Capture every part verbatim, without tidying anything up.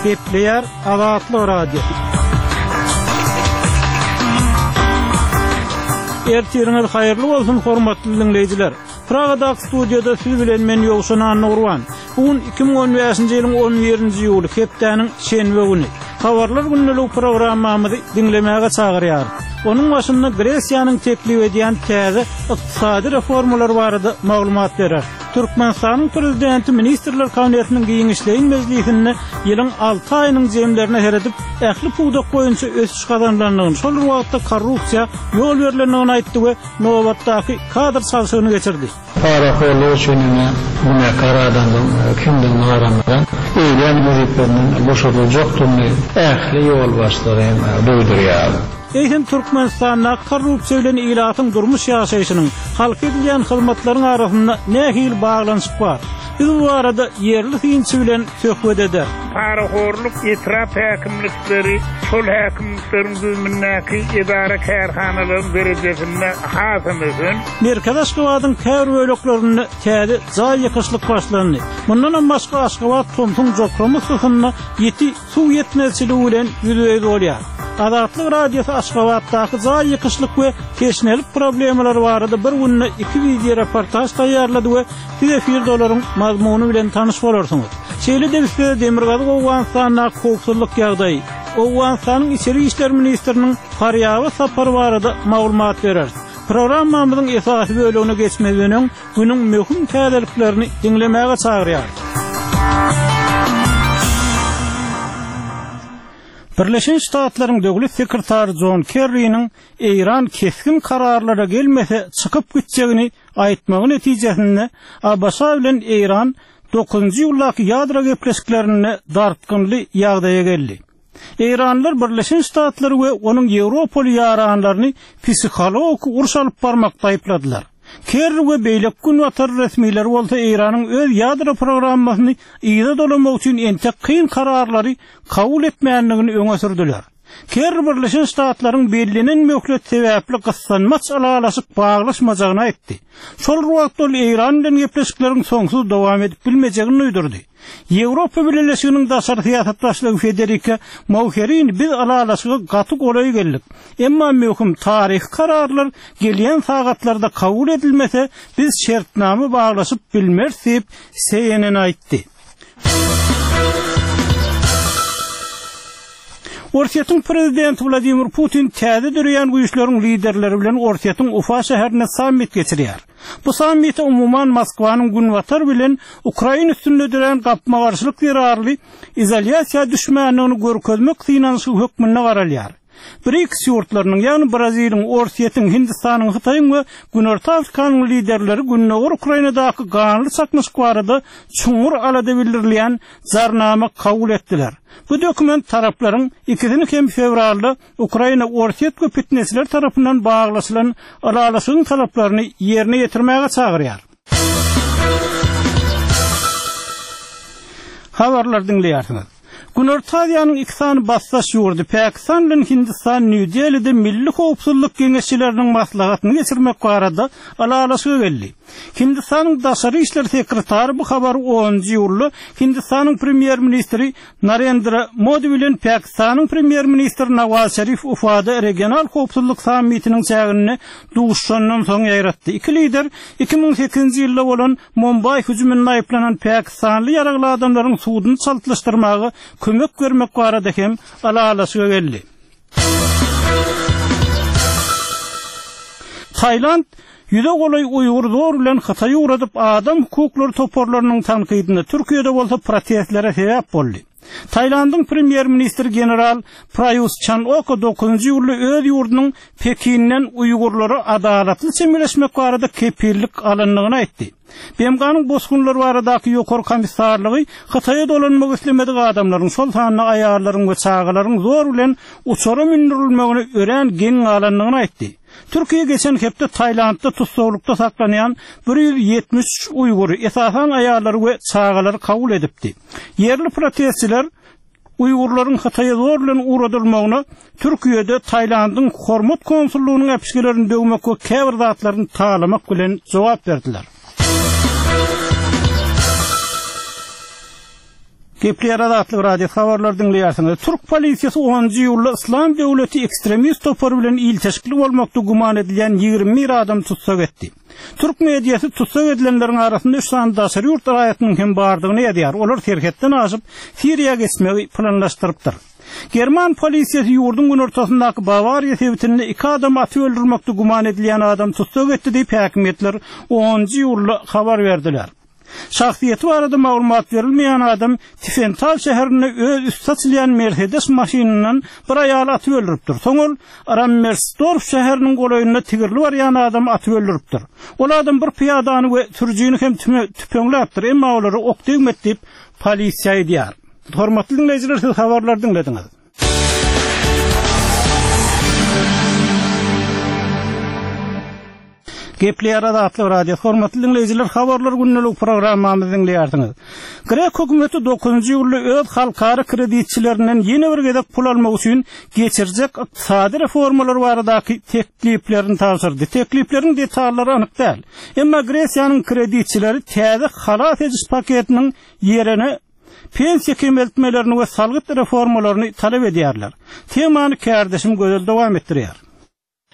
Gepleýär Azatlyk Radiosy. Ertiriňiz haýyrly bolsun, hormatly diňleýjiler. Pragadaky studiýada siz bilen men Ýowşan Annagurban. Bu gün iki müň on bäşinji ýylyň on birinji iýuly, hepdäniň şenbe güni. Habarlar gündelik programmamyzy diňlemäge çagyrýarys. Onuň başynda Gresiýanyň teklip edýän täze ykdysady reformalary barada maglumat berer. Türkmenistanyň Prezidenti Ministrler Kabinetiniň giňişleýin mejlisinde ýylyň alty aýynyň jemlerine seredip, ähli pudak boýunça ösüş gazanylandygyny, şol bir wagtda korrupsiýa ýol berlendigini aýtdy we nobatdaky kadr çalşygyny geçirdi. Parahorlyk üçin ine günäkär adamyň kimdigini garamazdan, eýlän wezipesinden boşadyljakdygyny ähli ýolbaşçylara hem duýdurýar. Eýsem Türkmenistanda korrupsiýa bilen ilatyň durmuş ýaşaýşynyň, halka edilýän hyzmatlaryň arasynda nähili baglanyşyk bar? Biz bu barada ýerli synçy bilen söhbet ederis. Parahorluk etrap häkimlikleri, şol häkimlikleriň düzümindäki edara kärhanalaryň derejesinde hasam ösen. Merkezi Aşgabadyň käbir böleklerinde täze jaý ýykyşlyk başlandy. Mundanam başga Aşgabat tomsuň jokrama yssysynda ýiti suw ýetmezçiligi bilen ýüzbe-ýüz bolýar. Azatlyk Radiosy Aşgabatdaky jaý ýykyşlyk we teşnelik problemalary barada bir günde iki wideo reportaž taýýarlady we siz efirde olaryň mazmuny bilen tanyş bolarsyňyz. Şeýle-de biz size Demirgazyk Owganystandaky howpsuzlyk ýagdaýy, Owganystanyň içeri işler ministriniň Farýaba sapary barada maglumat bereris. Programmamyzyň esasy bölegine geçmezden öň, günüň möhüm täzeliklerini diňlemäge çagyrýarys. Birleşen Ştatlaryň döwlet sekretary Jon Kerriniň Eýran kesgin kararlara gelmese çykyp gitjegini aýtmagy netijesinde A B Ş bilen Eýran dokuzynjy iýuldaky ýadro gepleşiklerinde dartgynly ýagdaýa geldi. Eýranlar Birleşen Ştatlary we onuň Ýewropaly ýaranlaryny psihologik uruş alyp barmakda aýypladylar. Kerri we beýleki günbatar resmileri bolsa Eýranyň öz ýadro programmasyny yza dolamak üçin entek kyn kararlary kabul etmändigini öňe sürdüler. Kerri Birleşen Ştatlaryň bellenen möhlet sebäpli gyssanmaç ylalaşyk baglaşmajagyny aýtdy. Şol wagtda ol Eýran bilen gepleşikleriň soňsuz dowam edip bilmejegini duýdurdy. Ýewropa Bileleşiginiň daşary syýasat başlygy Federica Mogherini biz ylalaşyga gaty golaý geldik. Emma möhüm taryhy kararlar gelýän sagatlarda kabul edilmese biz şertnama baglaşyp bilmeris diýip C N N aýtdy. Orsýetiň prezidenti Wladimir Putin täze döreýän güýçleriň liderleri bilen Orsýetiň Ufa şäherinde sammit geçirýär. Bu sammite umuman Moskwanyň günbatar bilen Ukraina üstünde dörän gapma-garşylyk zerarly izolýasiýa düşmändigini görkezmek synanyşygy hökmünde garalýar. BRICS ýurtlarynyň, ýagny Braziliýanyň, Orsýetiň, Hindistanyň, Hytaýyň we Günorta Afrikanyň liderleri Gündogar Ukrainadaky ganly çaknyşyk barada çuňňur alada bildirilýän jarnama kabul etdiler. Bu dokument taraplaryň ikisini hem fewralda Ukraina Orsýet we fitnesçiler tarapyndan baglaşylan ylalaşygyň talaplaryny ýerine ýetirmäge çagyrýar. Habarlar diňleýärsiňiz. Günorta Aziýanyň iki sany basdaş ýurdy Pakistan bilen Hindistan Nýu-Delide Milli Howpsuzlyk Geňeşçileriniň maslahatyny geçirmek barada ylalaşyga geldi. Hindistanyň daşary işler sekretary bu habary onunjy iýulda Hindistanyň premýer-ministri Narendra Modi bilen Pakistanyň premýer-ministri Nawaz Şerif Ufada regional howpsuzlyk sammitiniň çäginde duşandan soň ýaýratdy. Iki lider iki müň sekizinji ýylda bolan Mumbai hüjüminde aýyplanan Pakistanly ýaragly adamlaryň suduny çaltlaşdyrmaga kömek bermek barada hem ylalaşyga geldi. Tayland ýüze golaý Uýgur zor bilen Hytaýy ugradyp adam hukuklary toparlarynyň tankydyna Türkiýede bolsa protestlere sebäp boldy. Taylandyň premýer-ministri general Prayut Chan-o-cha dokuzynjy iýulda öz ýurdunyň Pekinden Uýgurlara adalatly çemeleşmek barada kepillik alyndygyny aýtdy. B M G-nyň bosgunlar baradaky ýokary komissarlygy Hytaýa dolanmak islemedik adamlaryň, şol sanda aýallaryň we çagalaryň zor bilen uçara mündürilmegine örän geň galandygyny aýtdy. Türkiýe geçen hepde Taylandda tussaglykda saklanýan bir ýüz ýetmiş üç Uýgury, esasan aýallary we çagalary kabul edipdi. Ýerli protestçiler Uýgurlaryň Hytaýa zor bilen ugradylmagyna Türkiýede Taylandyň hormat konsullygynyň äpişgelerini döwmek we käbir zatlaryny talamak bilen jogap berdiler. Gepleýär Azatlyk Radiosy habarlary diňleýärsiňiz. Türk polisiýasy onunjy iýulda Yslam döwleti ekstremist topary bilen ilteşikli bolmakda güman edilýän ýigrimi bir adamy tussag etdi. Türk mediasy tussag edilenleriň arasynda üç sany daşary ýurt raýatynyň hem bardygyny ýazýar. Olar serhetden aşyp, Siriýa geçmegi planlaşdyrypdyr. German polisiýasy ýurduň günortasyndaky Bawariýa sebitinde iki adamy atyp öldürmekde güman edilýän adamy tussag etdi diýip häkimiýetler onunjy iýulda habar berdiler. Şahsyýeti barada maglumat berilmeýän adam Tifental şäherinde öz üsti açylýan Mercedes maşynyndan bir aýaly atyp öldüripdir. Soň ol Rammersdorf şäheriniň golaýynda tigirli barýan adamy atyp öldüripdir. Ol adam bir pyýadany we sürüjini hem tüpeňläpdir, emma olara ok degmedi diýip polisiýa aýdýar. Hormatly diňleýjiler, siz habarlary diňlediňiz. Gepleýär Azatlyk Radiosy. Hormatly diňleýjiler, habarlar gündelik programmamyzy diňleýärsiňiz. Grek hökümeti dokuzynjy iýulda öz halkara kreditçilerinden ýene bir gezek pul almak üçin geçirjek ykdysady reformalar baradaky tekliplerini tabşyrdy. Teklipleriň detallary anyk däl. Emma Gresiýanyň kreditçileri täze halas ediş paketiniň ýerine pensiýa kemeltmelerini we salgyt reformalaryny talap edýärler. Temany kärdeşim Gözel dowam etdirýär.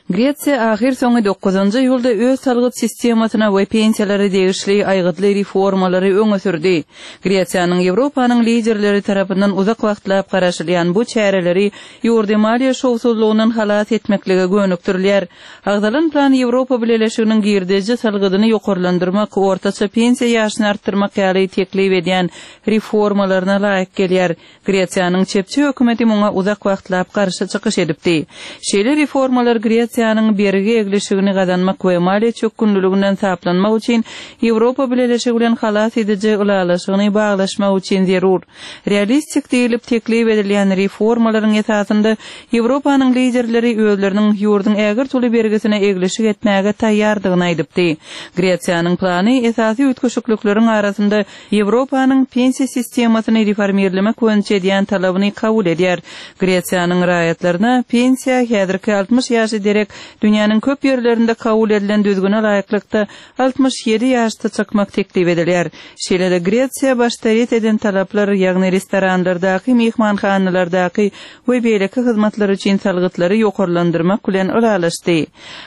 Gresiýa ahyr soňy dokuzynjy iýulda öz salgyt sistemasyna we pensiýalara degişli aýgytly reformalary öňe sürdi. Gresiýanyň Ýewropanyň liderleri tarapyndan uzak wagtlap garaşylýan bu çäreleri ýurdy maliýe şowsuzlygyndan halas etmeklige gönükdirilýär. Agzalan plan Ýewropa Bileleşiginiň girdeji salgydyny ýokarlandyrmak, ortaça pensiýa ýaşyny artdyrmak ýaly teklip edýän reformalaryna laýyk gelýär. Gresiýanyň çepçi hökümeti muňa uzak wagtlap garşy çykyş edipdi. Şeýle reformalar Gresiýanyň bergi eglişigini gazanmak we maliýe çökgünliliginden saplanmak üçin Ýewropa Bileleşigi bilen halas ediji ylalaşygyny baglaşmak üçin zerur. Realistik diýilip teklip edilýän reformalaryň esasynda Ýewropanyň liderleri özleriniň ýurduň ägirt uly bergisine eglişik etmäge taýýardygyny aýdypdy. Gresiýanyň plany esasy üýtgeşiklikleriň arasynda Ýewropanyň pensiýa sistemasyny reformirlemek boýunça edýän talabyny kabul edýär. Gresiýanyň raýatlaryna pensiýa häzirki altmyş ýaşy derek dünýäniň köp ýerlerinde kabul edilen düzgüne laýyklykda altmyş ýedi ýaşda çykmak teklip edilýär. Şeýle-de Gresiýa başda ret eden talaplar, ýagny restoranlardaky, mehmanhanalardaky we beýleki hyzmatlar üçin salgytlary ýokarlandyrmak bilen ylalaşdy.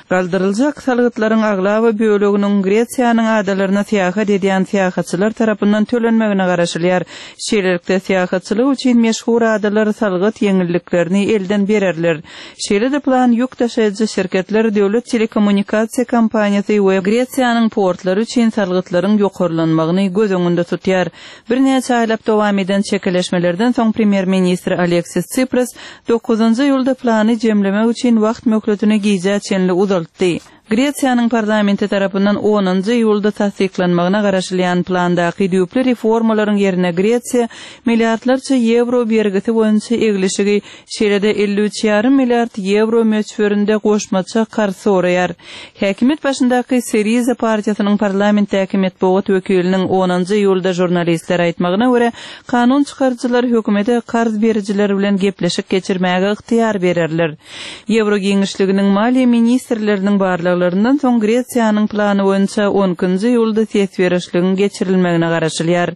Galdyryljak salgytlaryň aglaba böleginiň Gresiýanyň adalaryna syýahat edýän syýahatçylar tarapyndan tölenmegine garaşylýar. Şeýlelikde syýahatçylyk üçin meşhur adalar salgyt ýeňilliklerini elden bererler. Şeýle-de plan ýük daşaýjy şirketler, döwlet telekommunikasiýa kompaniýasy we Gresiýanyň portlary üçin salgytlaryň ýokarlanmagyny göz öňünde tutýar. Birnäçe aýlap dowam eden çekeleşmelerden soň premýer-ministr Aleksis Tsipras dokuzynjy iýulda plany jemlemek üçin wagt möhletini gijä çenli uzaltdy. Gresiýanyň parlamenti tarapyndan onunjy iýulda tassyklanmagyna garaşylýan plandaky düýpli reformalaryň ýerine Gresiýa milliardlarça ýewro bergisi boýunça eglişigi, şeýle-de elli üç ýarym milliard ýewro möçberinde goşmaça karz soraýar. Häkimiýet başyndaky Syriza partiýasynyň parlamentdäki metbugat wekiliniň onunjy iýulda žurnalistlere aýtmagyna görä, kanun çykaryjylar hökümete karz berijiler bilen gepleşik geçirmäge ygtyýar bererler. Ýewro giňişliginiň maliýe ministrleriniň barlaglaryndan soň Gresiýanyň plany boýunça on ikinji iýulda ses berişligiň geçirilmegine garaşylýar.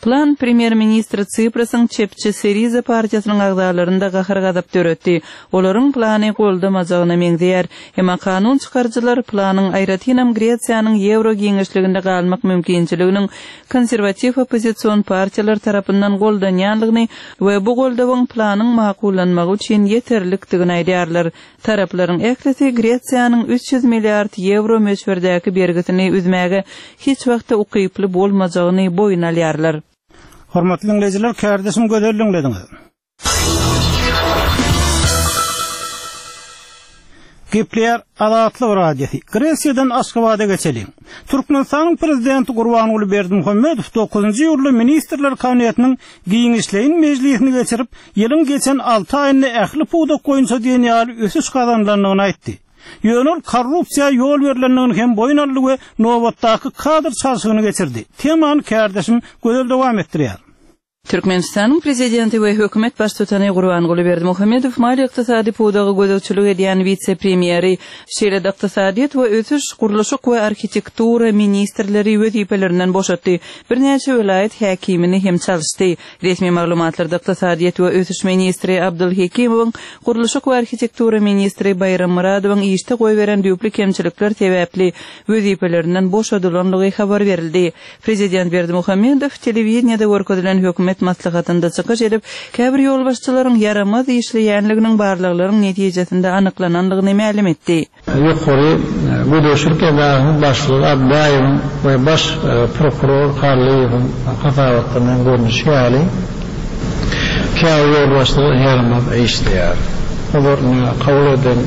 Plan premýer-ministr Tsiprasyň çepçi Syriza partiýasynyň agzalarynda gahar-gazap döretdi. Olaryň plany goldamajagyna meňzeýär. Emma kanun çykaryjylar planyň aýratynam Gresiýanyň ýewro giňişliginde galmak mümkinçiliginiň konserwatiw oppozision partiýalar tarapyndan goldanýanlygyny we bu goldawyň planyň makullanmagy üçin ýeterlikdigini aýdýarlar. Taraplaryň ählisi Gresiýanyň üç ýüz milliard ýewro möçberdäki bergisini üzmäge hiç wagtda ukyply bolmajagyny boýun alýarlar. Hormatly diňleýjiler, kärdeşim Gözel diňlediňiz. Gepleýär Azatlyk Radiosy. Gresiýadan Aşgabada geçeliň. Türkmenistanyň prezidenti Gurbanguly Berdimuhamedow dokuzynjy iýulda Ministrler Kabinetiniň giňişleýin mejlisini geçirip, ýylyň geçen alty aýynda ähli pudak boýunça diýen ýaly ösüş gazanylandygyny aýtdy. Ýöne ol korrupsiýa ýol berlendigini hem boýun aldy we nobatdaky kadr çalşygyny geçirdi. Temany kärdeşim Gözel dowam etdirýär. Türkmenistanyň Prezidenti we hökümet Baştutany Gurbanguly Berdimuhamedow maliýe-ykdysady pudaga gözegçilik edýän wise-premýeri, şeýle-de ykdysadyýet we ösüş, gurluşyk we arhitektura ministrleri wezipelerinden boşatdy, birnäçe welaýat häkimini hem çalyşdy. Resmi maglumatlarda ykdysadyýet we ösüş ministri Abdyl Hekimowyň, gurluşyk we arhitektura ministri Baýram Myradowyň işde goýberen düýpli kemçilikler sebäpli wezipelerinden boşadylandygy habar berildi. Prezident Berdimuhamedow telewideniýede görkezilen hökümet maslahatynda çykyş edip, käbir ýolbaşçylaryň ýaramaz işleýänliginiň barlaglaryň netijesinde anyklanandygyny mälim etdi. Ýokary gözegçilik edarasynyň başlygy Abdaýewiň we baş prokuror Hallyýewiň hasabatlaryndan görnüşi ýaly, käbir ýolbaşçylar ýaramaz işleýär. Olar kabul eden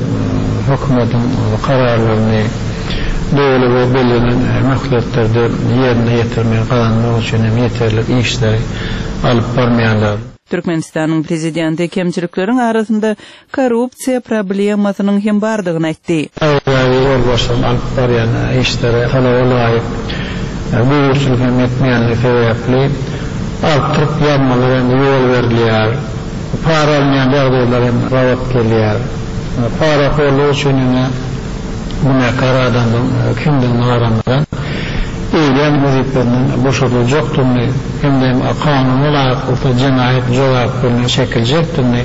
hökümetiň kararlaryny doly we bellenen möhletlerde ýerine ýetirmegi gazanmak üçin hem ýeterlik işleri alyp barmaýarlar. Türkmenistanyň Prezidenti kemçilikleriň arasynda korrupsiýa problemasynyň hem bardygyny aýtdy. Aýry-aýry ýolbaşçylaryň alyp barýan işleri talaba laýyk gözegçilik hem etmeýänligi sebäpli artdyryp ýazmalar hem ýol berilýär. Para alynýan ýagdaýlar hem gabat gelýär. Parahorluk üçin ine günäkär adamyň kimdigine garamazdan, eýlän wezipesinden boşadyljakdygyny hem-de kanuna laýyklykda jenaýat jogapkärine çekiljekdigini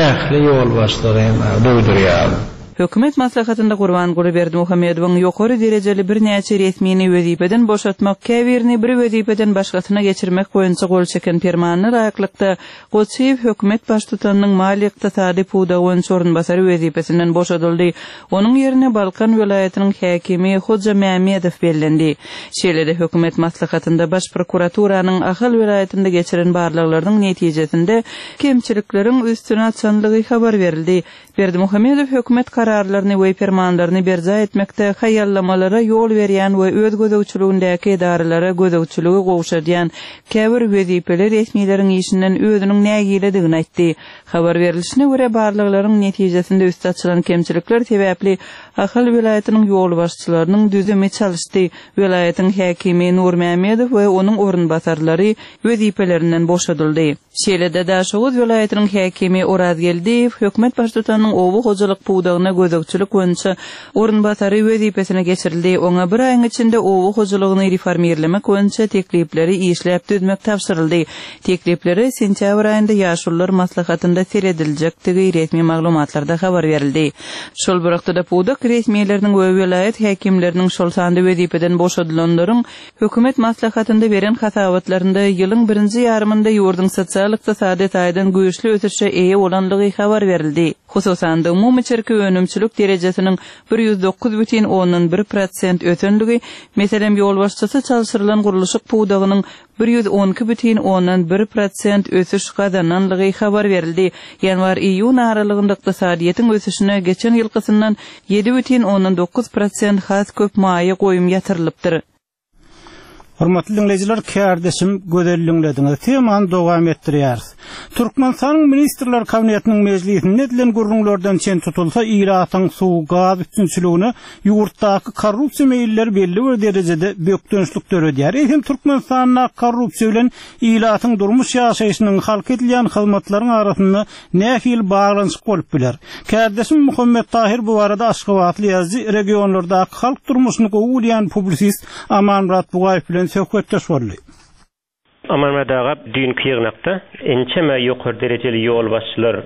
ähli ýolbaşçylara hem duýdurýar. Hökümet maslahatynda Gurbanguly Berdimuhamedowyň ýokary derejeli birnäçe resmini wezipeden boşatmak, käbirini bir wezipeden başgasyna geçirmek boýunça gol çeken Permanyna laýyklykda, Goçyýew hökümet baştutanynyň maliýe-ykdysady pudagy boýunça orunbasary wezipesinden boşadyldy. Onuň ýerine Balkan welaýatynyň häkimi Hoja Mämmedow bellendi. Şeýle-de hökümet maslahatynda Baş prokuraturanyň Ahal welaýatynda geçiren barlaglarynyň netijesinde kemçilikleriň üstüni açanlygy habar berildi. Berdimuhamedow hökümet kararlaryny we permanlaryny berjaý etmekde haýallamalara ýol berýän we öz gözegçiligindäki edaralara gözegçiligi gowşadýan käbir wezipeli resmileriň işinden özüniň nägiledigini aýtdy. Habar berlişine görä, barlaglaryň netijesinde üsti açylan kemçilikler sebäpli Ahal welaýatynyň ýolbaşçylarynyň düzümi çalyşdy, welaýatyň häkimi Nurmämmedow we onuň orunbasarlary wezipelerinden boşadyldy. Şeýle-de Daşoguz welaýatynyň häkimi Oraz Geldiýew hökümet baştutanynyň oba hojalyk pudagyna gözegçilik boýunça orunbasary wezipesine geçirildi. Oňa bir aýyň içinde oba hojalygyny reformirlemek boýunça teklipleri işläp düzmek tabşyryldy. Tekliplere sentýabr aýynda Ýaşulular maslahatynda serediljekdigi resmi maglumatlarda habar berildi. Şol bir wagtda-da pudak resmileriniň we welaýat häkimleriniň, şol sanda wezipeden boşadylanlaryň hökümet maslahatynda beren hasabatlarynda ýylyň birinji ýarymynda ýurduň sosial-ykdysady taýdan güýçli ösüşe eýe bolandygy habar berildi. Hususan-da, umumy içerki önümçilik derejesiniň bir ýüz dokuz bütin ondan bir prosent ösenligi, meselem, ýolbaşçysy çalşyrylan gurluşyk pudagynyň bir ýüz on iki bütin ondan bir prosent ösüş gazananlygy habar berildi. Ýanwar-iýun aralygynda ykdysadyýetiň ösüşine geçen ýylkysyndan ýedi bütin ondan dokuz prosent has köp maýa goýum ýatyrylypdyr. Hormatly diňleýjiler, kärdeşim Gözel diňlediňiz. Temany dowam etdirýäris. Türkmenistanyň Ministrler Kabinetiniň mejlisinde edilen gürrüňlerden çen tutulsa, ilatyň suw, gaz üpjünçiligine ýurtdaky korrupsiýa meýilleri belli bir derejede bökdençlik döredýär. Eýsem Türkmenistanda korrupsiýa bilen ilatyň durmuş ýaşaýşynyň halk edilýän hyzmatlaryň arasynda nähili baglanyşyk bolup biler? Kärdeşim Muhammet Tahir bu barada Aşgabatly ýazyjy, regionlardaky halk durmuşyny gowy bilýän publisist Amanmyrat Bugaýew bilen söhbetdeş boldy. Amanmyrat aga, düýnki ýygnakda ençeme ýokary derejeli ýolbaşçylar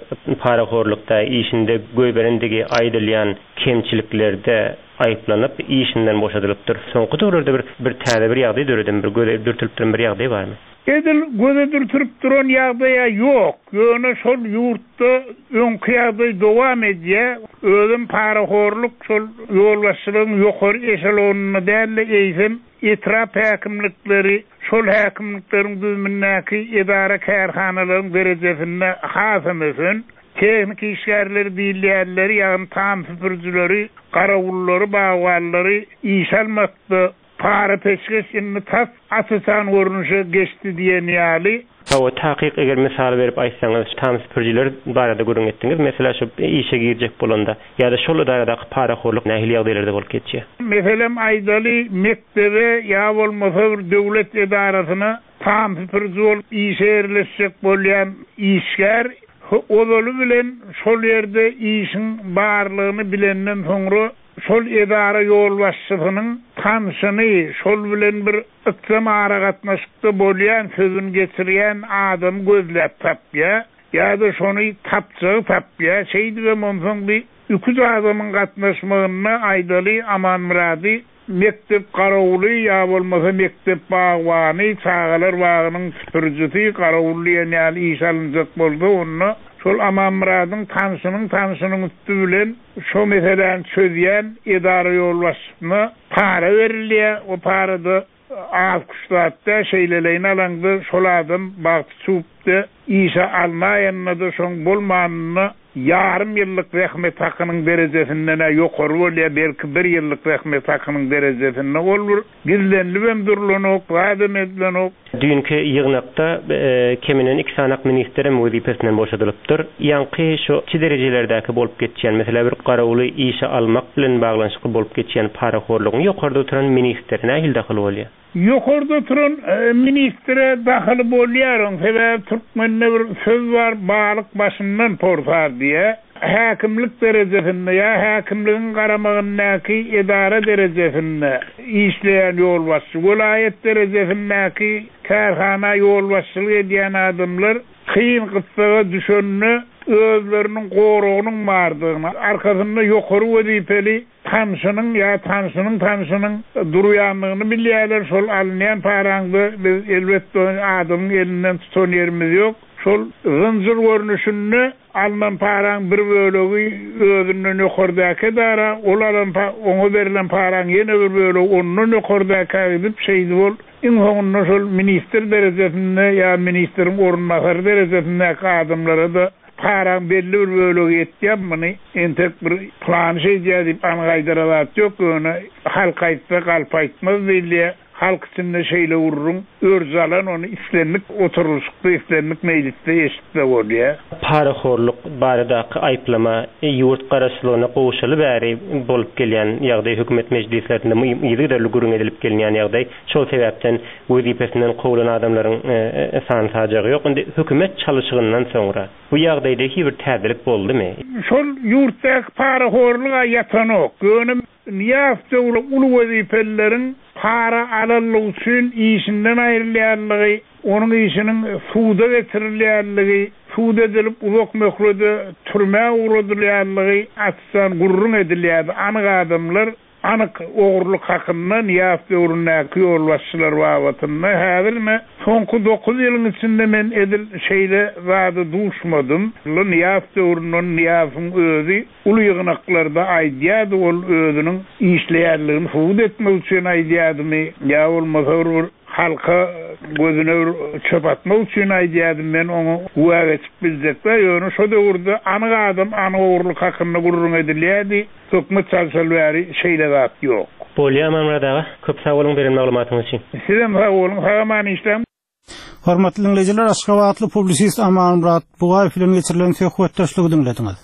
parahorlukda işinde goýberendigi aýdylýan kemçiliklerde aýyplanyp, işinden boşadylypdyr. Soňky döwürlerde bir, bir täze bir ýagdaý döredimi, bir göze dürtülip duran bir ýagdaý barmy? Edil göze dürtülip duran ýagdaýa ýok. Ýöne şol ýurtda öňki ýagdaý dowam edýär. Özüm parahorluk şol ýolbaşçylygyň ýokary eşelonynda däl-de, eýsem etrap häkimlikleri, şol häkimlikleriň düzümindäki edara kärhanalaryň derejesinde hasam ösen, tehniki işgärleri diýilýänleri, ýagny tam süpürjileri, garawullary, bagbanlary iş almakda para peşgeş indi tas aç-açan görnüşe geçdi diýen ýaly. Hawa, takyk eger mysal berip aýtsaňyz, tam süpürjiler barada gürrüň etdiňiz, mesela şu işe girjek bolanda ýa-da şol edaradaky parahorluk nähili ýagdaýlarda bolup geçýär? Meselem aýdaly, mekdebe ýa bolmasa bir döwlet edarasyna Tam süpüriji bolup işe ýerleşjek bolýan işgär ozaly bilen şol ýerde işiň barlygyny bilenden soňra şol edara ýolbaşçysynyň tanşyny, şol bilen bir ykjam aragatnaşykda bolýan, sözüni geçirýän adamy gözläp tapýar ýa-da şony tapjagy tapýar. Şeýdibem onsoň bir iki adamyň gatnaşmagynda aýdaly Amanmyrady mekdep garawuly ýa bolmasa mekdep bagbany, çagalar bagynyň süpürijisi garawul diýen ýaly iş alynjak bolsa, onda şol Amanmyradyň tanşynyň tanşynyň üsti bilen şo meseläni çözýän edara ýolbaşçysyna para berilýär. O parada az kuş zatda şeýleleýin alaňda şol adam bagty çüwüpde işe almaýanda-da şoň bolmanyna ýarym ýyllyk zähmet hakynyň derejesinden ýokary bolýar, belki bir ýyllyk zähmet hakynyň derejesinde ol bir gizlenilibem durulanok, zadam edilenok. Düýnki ýygnakda keminden iki sanak ministrem wezipesinden boşadylypdyr. Ýaňky şu iki derejelerdäki bolup geçýän, mesela bir garawuly işe almak bilen baglanyşykly bolup geçýän parahorlugyň ýokarda oturan ministre nähili dahyly bolýar? Ýokarda oturan ministre dahyly bolýar, oň sebäbi türkmende bir söz bar, balyk başyndan porsar diýe. Häkimlik derejesinde ýa häkimligiň garamagyndaky edara derejesinde işleýän ýolbaşçy, welaýat derejesindäki kärhana ýolbaşçylyk edýän adamlar kyn gyssaga düşende özleriniň goragynyň bardygyny, arkasynda ýokary wezipeli tanşynyň ýa tanşynyň tanşynyň durýanlygyny bilýärler. Şol alynýan paraňda biz elbetde adamyň elinden tutan ýerimiz ýok. Şol zynjyr görnüşinde alynan paraň bir bölegi özünden ýokardaki edara, ol alan oňa berlen paraň ýene bir bölegi ondan ýokardaka gidip şeýdi bol. Iň soňunda şol ministr derejesinde ýa ministriň orunbasary derejesindäki adamlara da paraň belli bir bölegi ýetýär. Muny entek bir plan şeýdýär diýip anyk aýdara zat ýok. Ýöne halk aýtsa galp aýtmaz diýilýär. Halk içinde şeýle gurrun örz alan ony islendik oturylyşykda, islendik mejlisde eşitse bolýar. Parahorluk baradaky aýyplama ýurt garaşsyzlygyna gowşaly bäri bolup gelýän ýagdaý hökümet mejlislerinde yzygiderli gürrüň edilip gelinýän ýagdaý. Şol sebäpden wezipesinden kowulan adamlaryň sany sajagy ýok. Indi hökümet çalyşygyndan soňra bu ýagdaýda hiç bir täzelik boldumy? Şol ýurtdaky parahorluga ýatanok. Ýöne Nyýazow döwri uly wezipelileriň para alanlygy üçin işinden aýrylýanlygy, onuň işiniň suda getirilýänligi, sud edilip uzak möhlete türmä ugradylýanlygy açdan gürrüň edilýärdi. Anyk adamlar anyk ogurlyk hakynda Nyýazow döwründäki ýolbaşçylar babatynda häzirme soňky dokuz ýylyň içinde men edil şeýle zada duşmadym. Nyýazow döwründen Nyýazowyň özi uly ýygnaklarda aýdýardy, ol özüniň işleýänligini subut etmek üçin aýdýardymy ýa bolmasa bir halka gözüne bir çöp atmak üçin aýdýardym, men oňa güwä geçip biljekler. Ýöne şo döwürde anyk adam anyk ogurlyk hakynda gürrüň edilýärdi. Hökümet çalşaly bäri şeýle zat ýok. Bolýar Amanmyrat aga, köp sag boluň beren maglumatyňyz üçin. Sizem sag boluň, sag aman işläň. Hormatly dinleýjiler, Aşgabatly publisist Amanmyrat Bugaýew bilen geçirilen söhbetdeşligi diňlediňiz.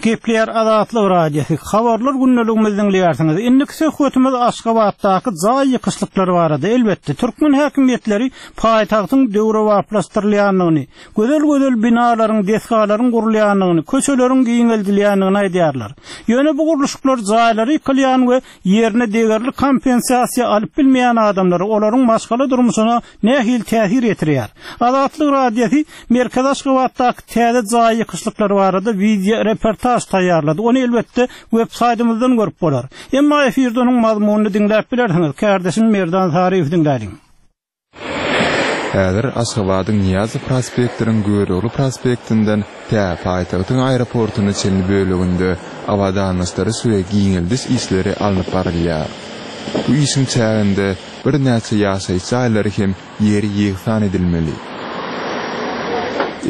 Gepleýär Azatlyk Radiosy. Habarlar gündeligimizi diňleýärsiňiz. Indiki söhbetimiz Aşgabatdaky jaý ýykyşlyklary barada. Elbetde, türkmen häkimiýetleri paýtagtyň döwrebaplaşdyrylýandygyny, gözel-gözel binalaryň, desgalaryň gurulýandygyny, köçeleriň giňeldilýändigini aýdýarlar. Ýöne bu gurluşyklar jaýlary ýykylýan we ýerine degerli kompensasiýa alyp bilmeýän adamlara, olaryň maşgala durmuşyna nähili täsir ýetirýär? Azatlyk Radiosy Merkez Aşgabatdaky täze jaý ýykyşlyklary barada video reportaj taýýarlady. Ony elbetde web saýtymyzdan görüp bolar. Emma efirde onuň mazmunyny diňläp bilersiňiz. Kardeşim Merdan Saryýew diňläliň. Häzir Aşgabadyň Nyýazow prospektiniň Görogly prospektinden tä paýtagtyň aeroportuna çenli böleginde abadanlaşdyryş we giňeldiş işleri alnyp barylýar. Bu işiň çäginde birnäçe ýaşaýyş jaýlary hem ýeri ýegsan edilmeli.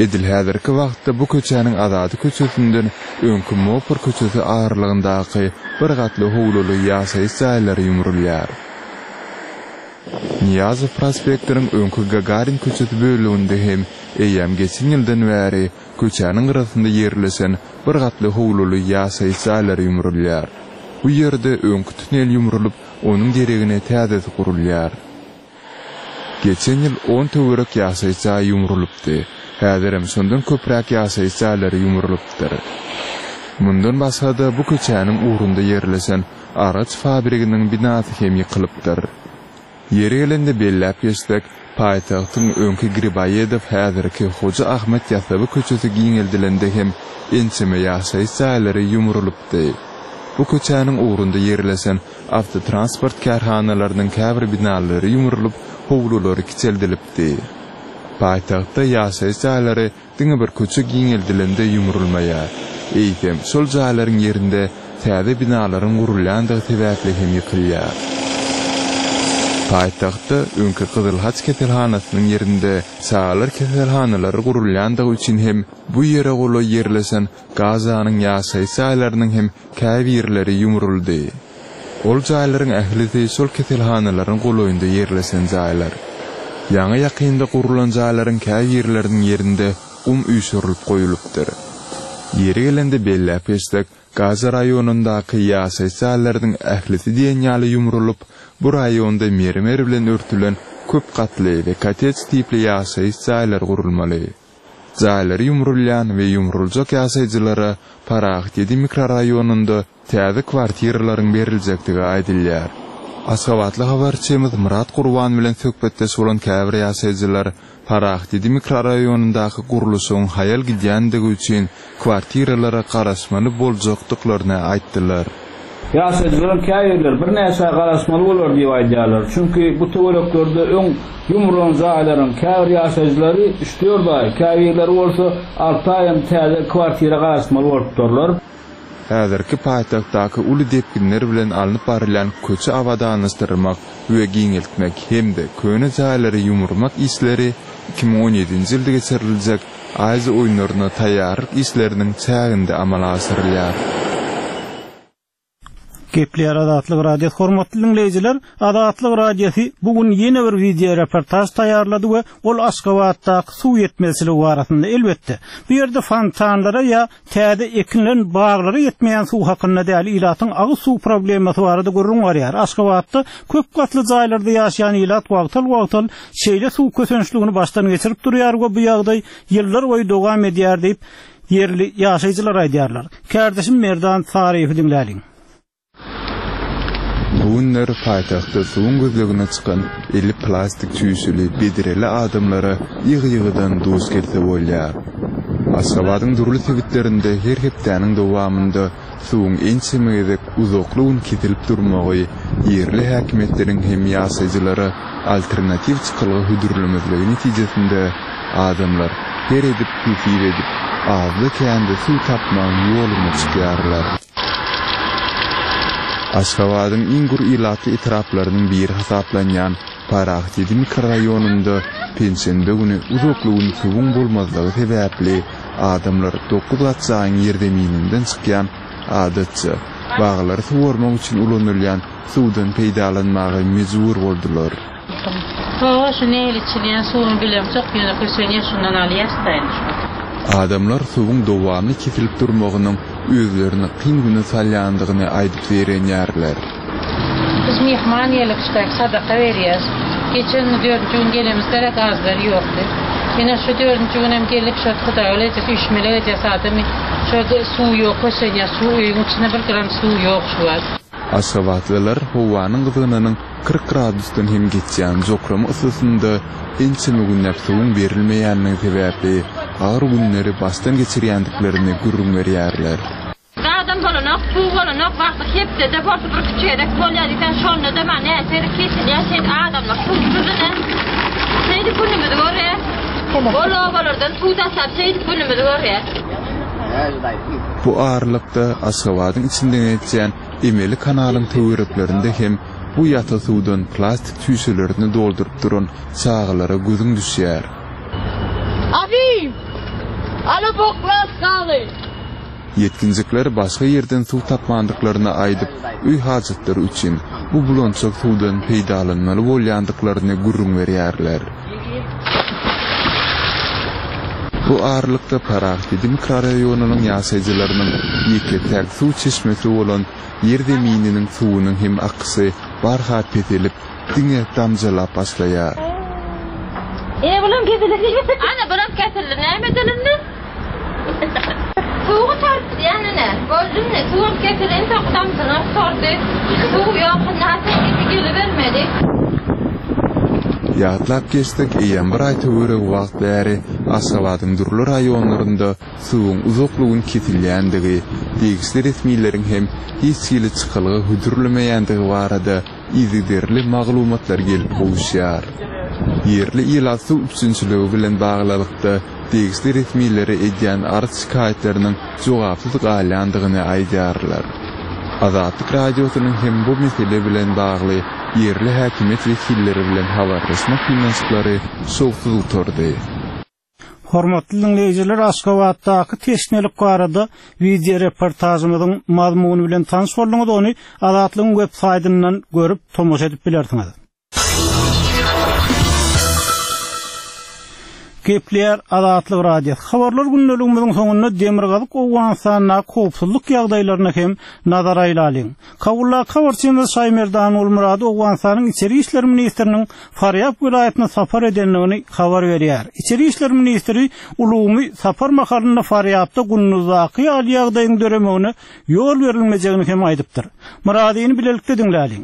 Edil häzirki wagtda bu köçäniň Azady köçesinden öňki Mopor köçesi aralygyndaky bir gatly howluly ýaşaýyş jaýlary ýumrulýar. Nyýazow prospektiniň öňki Gagarin köçesi böleginde hem eýýäm geçen ýyldan bäri köçäniň gyrasynda ýerleşen bir gatly howluly ýaşaýyş jaýlary ýumrulýar. Bu ýerde öňki tünel ýumrulyp, onuň deregine täzesi gurulýar. Geçen ýyl on töwerek ýaşaýyş jaýy ýumrulypdy. Häzirem şondan köpräk ýaşaýyş jaýlary ýumrulypdyr. Mundan başga-da bu köçäniň ugrunda ýerleşen agaç fabriginiň binasy hem ýykylypdyr. Ýeri gelende belläp geçsek, paýtagtyň öňki Griboýedow häzirki Hoja Ahmet Ýasawy köçesi giňeldilende hem ençeme ýaşaýyş jaýlary ýumrulypdy. Bu köçäniň ugrunda ýerleşen awtotransport kärhanalarynyň käbir binalary ýumrulyp, howlulary kiçeldilipdi. Paýtagtda ýaşaýyş jaýlary diňe bir köçe giňeldilende ýumrulmaýar. Eýsem, şol jaýlaryň ýerinde täze binalaryň gurulýandygy sebäpli hem ýykylýar. Paýtagtda öňki Gyzylhaç keselhanasynyň ýerinde çagalar keselhanalary gurulýandygy üçin hem bu ýere golaý ýerleşen Gazanyň ýaşaýyş jaýlarynyň hem käbirleri ýumruldy. Ol jaýlaryň ählisi şol keselhanalaryň golaýynda ýerleşen jaýlar. Ýaňy ýakynda gurulan jaýlaryň käbirleriniň ýerinde gum üýşürilip goýulypdyr. Ýeri gelende belläp geçsek, Gaza raýonyndaky ýaşaýyş jaýlarynyň ählisi diýen ýaly ýumrulyp, bu raýonda mermer bilen örtülen köp gatly we kottej tipli ýaşaýyş jaýlary gurulmaly. Jaýlary ýumrulýan we ýumruljak ýaşaýjylara Parahat ýedi mikroraýonynda täze kwartiralaryň beriljekdigi aýdylýar. Aşgabatly habarçymyz Myrat Gurban bilen söhbetdeş bolan käbir ýaşaýjylar Parahat ýedi mikroraýonyndaky gurluşygyň haýal gidýändigi üçin kwartiralara garaşmaly boljakdyklaryny aýtdylar. Ýaşaýjylaryň käbirleri birnäçe garaşmaly bolar diýip aýdýarlar. Çünki bu töwereklerde öň ýumrulan jaýlaryň käbir ýaşaýjylary üç dört aý, käbirleri bolsa alty aý täze kwartira garaşmaly bolupdyrlar. Häzirki paýtagtdaky uly depginler bilen alnyp barylýan köçe abadanlaşdyrmak we giňeltmek hem-de köne jaýlary ýumurmak işleri iki müň on ýedinji ýylda geçiriljek Aziýa oýunlaryna taýýarlyk işleriniň çäginde amala aşyrylýar. Gepleýär Azatlyk Radiosy hormatly dinleýjiler, Azatlyk Radiosy bu gün ýene bir video reportaj taýýarlady we ol Aşgabatdaky suw ýetmezçiligi barasynda elbetde. Bu ýerde fontanlara ýa täze ekilen baglara ýetmeýän suw hakynda däl, ilatyň agyz suw problemasy barada gürrüň barýar. Aşgabatda köp gatly jaýlarda ýaşaýan ilat wagtal-wagtal şeýle suw kösençligini başdan geçirip durýar we bu ýagdaý ýyllar boýy dowam edýär diýip ýerli ýaşaýjylar aýdýarlar. Kardeşim Merdan Saryýewi diňläliň. Bu günler paýtagtda suwuň gözlegine çykan eli plastik çüýşeli bedireli adamlara ýygy-ýygydan duş gelse bolýar. Aşgabadyň dürli sebitlerinde her hepdäniň dowamynda suwuň ençeme gezek uzakly gün kesilip durmagy ýerli häkimiýetleriň hem ýaşaýjylara alternatiw çykalga hödürlemezligi netijesinde adamlar her edip hesip edip azda kände suw tapmagyň ýoluna çykýarlar. Aşgabadyň iň gür ilatly etraplarynyň biri hasaplanýan Parahat ýedi mikroraýonynda penşenbe güni uzakly gün suwuň bolmazlygy sebäpli adamlar dokuz gat jaýyň ýerzemininden çykýan adatça baglary suwarmak üçin ulanylýan suwdan peýdalanmaga mejbur boldular. Hawa, şu neýli içilýän suwuny bilemok, ýöne kösenýär, şundan alýas da indi şu. Adamlar suwuň dowamly kesilip durmagynyň özlerini kyn güne salýandygyny aýdyp zeýrenýärler. Biz mehman gelip şudak sadaka berýäs. Geçen dördünji gün gelemizde gazlar ýokdy. Ýene şu dördünji gün hem gelip şu Hudaý öýle düşmeli edýäs adamy. Şu suw ýok, kösenýär, suw öýüň içinde bir gram suw ýok şu wagt. Aşgabatlylar howanyň gyzgynynyň kyrk gradusdan hem geçýän jokrama ysysynda ençeme günläp suwuň berilmeýänligi sebäpli agyr günleri başdan geçirýändiklerini gürrüň berýärler. Adam bolanok, suw bolanok, wagty hepdede bolsa bir küçük bolýar diýsen, şonda da men näçe kesilýär, şeýle adamlar suwsuz ine. Şeýle günümizi görýär. Ol obalardan suw taşlap şeýle günümizi görýär. Bu aralykda Aşgabadyň içinden geçýän emeli kanalyň töwereklerinde hem bu ýata suwdan plastik çüýşelerini dolduryp duran çagalara gözüň düşýär. Abi! Ala boklas galy. Ýetginjekler başga ýerden suw tapmandyklaryny aýdyp, öý hajatlary üçin bu bulançak suwdan peýdalanmaly bolýandyklaryny gürrüň berýärler. Bu aralykda Parahat ýedi mikroraýonynyň ýaşaýjylarynyň ýeke-täk suw çeşmesi bolan ýer zemininiň suwunyň hem akysy barha peselip, diňe damjalap başlaýar. E bulam kesildi. Ana bulam kesildi. Näme edelim Suwy tartdy ýanyna. Gördün suwum kesilen damjyny sordy. Suw ýok, näse gelibermedi. Ýatlap geçsek, eýýäm bir aý töweregi wagt bäri Aşgabadyň dürli raýonlarynda suwuň uzakly gün kesilýändigi, degişli resmileriň hem hiç hili çykalga hödürlemeýändigi barada yzygiderli maglumatlar gelip gowuşýar. Ýerli ilat suw üpjünçiligi bilen baglylykda degişli resmilere edýän arz şikaýatlarynyň jogapsyz galýandygyny aýdýarlar. Azatlyk radiosynyň hem bu mesele bilen bagly ýerli häkimiýet wekilleri bilen habarlaşmak synanyşyklary şowsuz gutardy. Hormatly dinleýjiler, Aşgabatdaky teşnelik barada video reportajymyzyň mazmuny bilen tanyş bolduňyz, ony Azatlygyň web saýtyndan görüp tomaşa edip bilersiňiz. Gepleýär Azatlyk Radiosy. Habarlar gündeligimiziň soňunda Demirgazyk Owganystandaky howpsuzlyk ýagdaýlaryna hem nazar aýlalyň. Kabuldaky habarçymyz Şaýmerdan Gulmurady Owganystanyň Içeri işler ministriniň Farýab welaýatyna sapar edendigini habar berýär. Içeri işler ministri Ulumy sapar mahalynda Farýabda Gunduzdaky ýaly ýagdaýyň döremegine ýol berilmejegini hem aýdypdyr. Muradyny bilelikde diňläliň.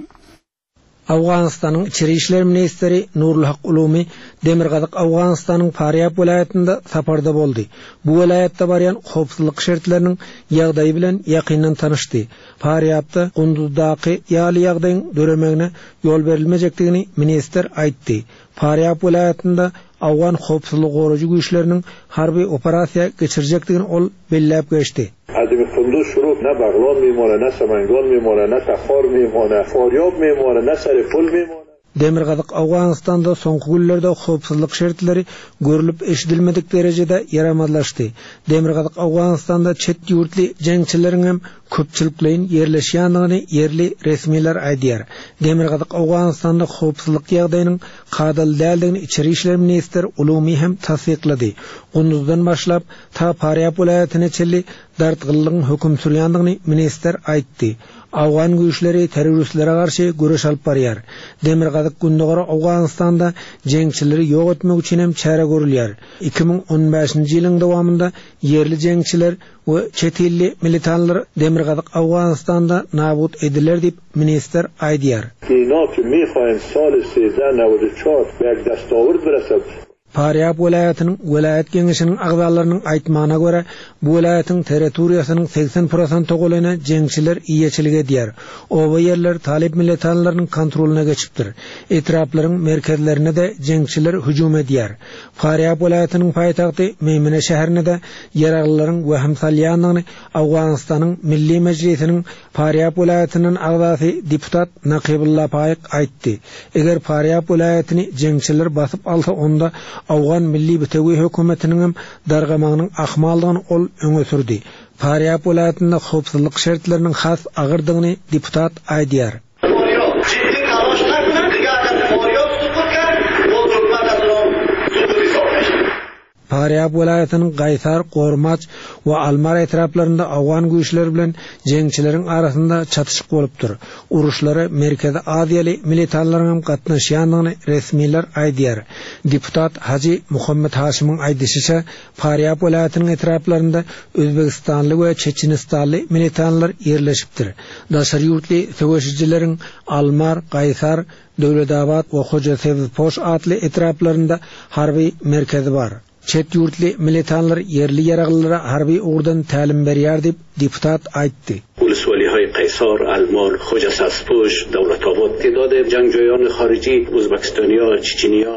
Awganystanyň Içeri işler ministri Nurulhak Ulumy Demirgazyk Awganystanyň Farýab welaýatynda saparda boldy. Bu welaýatda barýan howpsuzlyk şertleriniň ýagdaýy bilen ýakyndan tanyşdy. Farýabda Gunduzdaky ýaly ýagdaýyň döremegine ýol berilmejekdigini ministr aýtdy. Farýab welaýatynda Awgan howpsuzlyk goraýjy güýçleriniň harby operasiýa geçirjekdigini ol belläp geçdi. Adem Kunduz şuru ne Baglan میمانه نه Samangan میمانه نه Takhar میمانه Faryab میمانه نه Saripul میمانه Demirgazyk Awganystanda soňky günlerde howpsuzlyk şertleri görülip eşidilmedik derejede ýaramazlaşdy. Demirgazyk Awganystanda çet ýurtly jeňçileriň hem köpçülikleýin ýerleşýändigini ýerli resmiler aýdýar. Demirgazyk Awganystanda howpsuzlyk ýagdaýynyň kadaly däldigini Içeri işler ministri Ulumy hem tassyklady. Gunduzdan başlap ta Farýab welaýatyna çenli dartgynlygyň höküm sürýändigini ministr aýtdy. Awgan güýçleri terroristlere garşy göreş alyp barýar. Demirgazyk Gündogar Awganystanda jeňçileri ýok etmek üçin hem çäre görülýär. iki müň on bäşinji ýylyň dowamynda ýerli jeňçiler we çetilli militanlar Demirgazyk Awganystanda nabut ediler diýip ministr aýdýar. اینا که میخوایم سال سیزده نود و چهار به یک دستاورد برسد. Farýab welaýatynyň welaýat geňeşiniň agzalarynyň aýtmagyna görä, bu welaýatyň territoriýasynyň seksen prosent golaýyna jeňçiler iýeçilik edýär. Oba ýerler talip militanlarynyň kontrolyna geçipdir. Etraplaryň merkezlerine de jeňçiler hüjüm edýär. Farýab welaýatynyň paýtagty Meýmene şäherine de ýaraglylaryň wehim salýandygyny Awganystanyň Milli Mejlisiniň Farýab welaýatynyň agzasy deputat Nakibulla Paýyk aýtdy. Eger Farýab welaýatyny jeňçiler basyp alsa, onda Awgan Milli Bitewi hökümetiniň hem dargamagynyň ahmaldygyny ol öňe sürdi. Farýab welaýatynda howpsuzlyk şertleriniň has agyrdygyny deputat aýdýar. Farýab welaýatynyň Gaýsar, Gormaç we Almar etraplarynda Awgan güýçleri bilen jeňçileriň arasynda çatyşyk bolupdyr. Uruşlara Merkezi Aziýaly militanlaryň hem gatnaşýandygyny resmiler aýdýar. Deputat Haji Muhammed Haşimyň aýdyşyça, Farýab welaýatynyň etraplarynda Özbegistanly we Çeçenistanly militanlar ýerleşipdir. Daşary ýurtly söweşijileriň Almar, Gaýsar, Döwletabat we Hoja Sebzpoş atly etraplarynda harby merkezi bar. Çet ýurtly militanlar ýerli ýaraglylara harby ugurdan tälim berýär diýip deputat aýtdy. Uluswalihay Qaysar, Almar, Hoja Saspoş, Döwletabat تعداد جنگجویان خارجی Uzbekistaniya, Çeçeniya.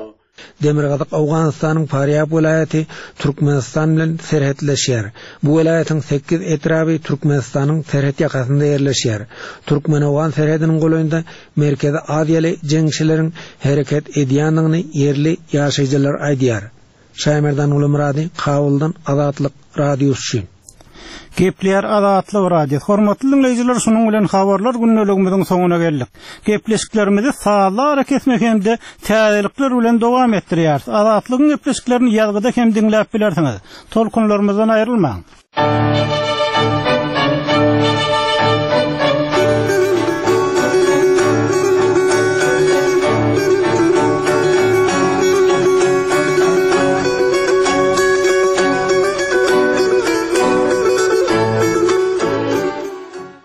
Demirgazyk Awganystanyň Farýab welaýaty Türkmenistan bilen serhetleşýär. Bu welaýatyň sekiz etraby Türkmenistanyň serhet ýakasynda ýerleşýär. Türkmen-Awgan serhediniň golaýynda Merkezi Aziýaly jeňçileriň hereket edýändigini ýerli ýaşaýjylar aýdýar. Şaýmerdan Ulumurady, Kabuldan Azatlyk Radiosy. Gepleýär Azatlyk Radiosy. Hormatly dinleýjiler, şunuň bilen habarlar gündeligimiziň soňuna geldik. Gepleşiklerimizi sazly ara kesmek hem-de täzelikler bilen dowam etdirýäris. Azatlygyň gepleşiklerini ýazgyda hem diňläp bilersiňiz. Tolkunlarymyzdan aýrylmaň.